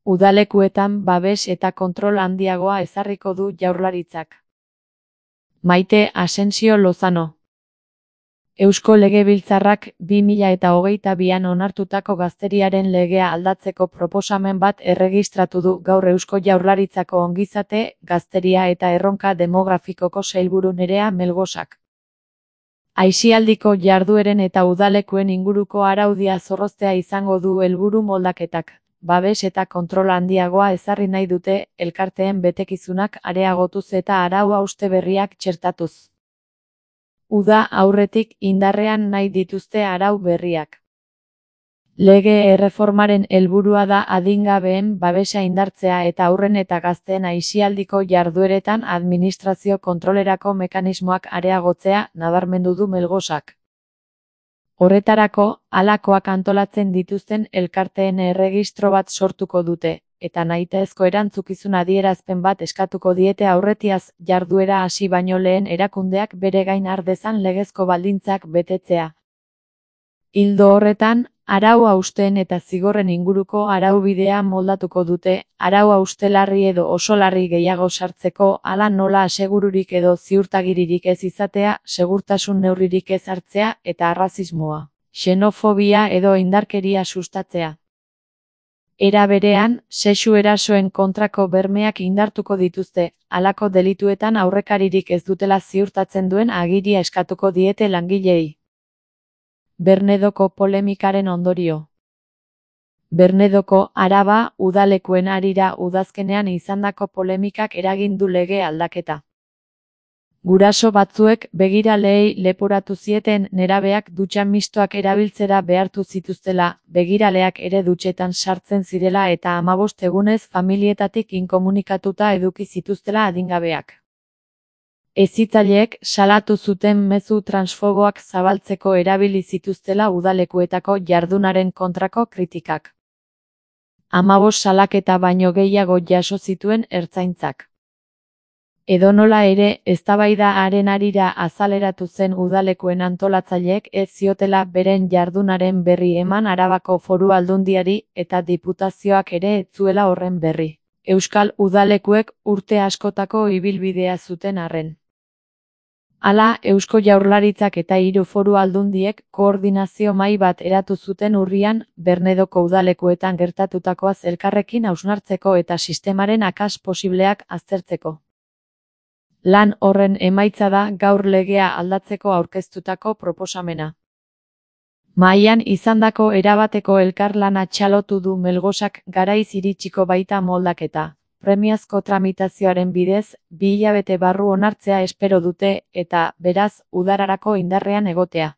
Udalekuetan babes eta kontrol handiagoa ezarriko du Jaurlaritzak. Maite Asensio Lozano. Eusko Legebiltzarrak 2022an onartutako gazteriaren legea aldatzeko proposamen bat erregistratu du gaur Eusko Jaurlaritzako ongizate, gazteria eta erronka demografikoko sailburu Nerea Melgosak. Aisialdiko jardueren eta udalekuen inguruko araudia zorroztea izango du helburu moldaketak. Babes eta kontrol handiagoa ezarri nahi dute, elkarteen betekizunak areagotuz eta arau-hauste berriak txertatuz. Uda aurretik indarrean nahi dituzte arau berriak. Lege erreformaren helburua da adingabeen babesa indartzea eta haurren eta gazteen aisialdiko jardueretan administrazio kontrolerako mekanismoak areagotzea, nabarmendu du Melgosak. Horretarako, halakoak antolatzen dituzten elkarteen erregistro bat sortuko dute, eta nahitaezko erantzukizun adierazpen bat eskatuko diete aurretiaz jarduera hasi baino lehen erakundeak bere gain har dezan legezko baldintzak betetzea. Ildo horretan, arau-hausteen eta zigorren inguruko araubidea moldatuko dute, arau-hauste larri edo oso larri gehiago sartzeko, hala nola asegururik edo ziurtagiririk ez izatea, segurtasun neurririk ez hartzea eta arrazismoa, xenofobia edo indarkeria sustatzea. Era berean, sexu erasoen kontrako bermeak indartuko dituzte, halako delituetan aurrekaririk ez dutela ziurtatzen duen agiria eskatuko diete langileei. Bernedoko polemikaren ondorio. Bernedoko Araba udalekuen harira udazkenean izandako polemikak eragin du lege aldaketa. Guraso batzuek begiraleei leporatu zieten nerabeak dutxa mistoak erabiltzera behartu zituztela, begiraleak ere dutxetan sartzen zirela eta 15 egunez familietatik inkomunikatuta eduki zituztela adingabeak. Hezitzaileek salatu zuten mezu transfoboak zabaltzeko erabili zituztela udalekuetako jardunaren kontrako kritikak. 15 salaketa baino gehiago jaso zituen ertzaintzak. Edonola ere, eztabaida haren harira azaleratu zen udalekuen antolatzaileek ez ziotela beren jardunaren berri eman Arabako Foru Aldundiari eta diputazioak ere ez zuela horren berri. Euskal udalekuek urte askotako ibilbidea zuten arren. Hala, Eusko Jaurlaritzak eta 3 foru aldundiek koordinazio mahai bat eratu zuten urrian, Bernedoko udalekuetan gertatutakoaz elkarrekin hausnartzeko eta sistemaren akats posibleak aztertzeko. Lan horren emaitza da gaur legea aldatzeko aurkeztutako proposamena. Mahaian izandako erabateko elkarlana txalotu du Melgosak garaiz iritsiko baita moldaketa. Premiazko tramitazioaren bidez, 2 hilabete barru onartzea espero dute eta, beraz, udararako indarrean egotea.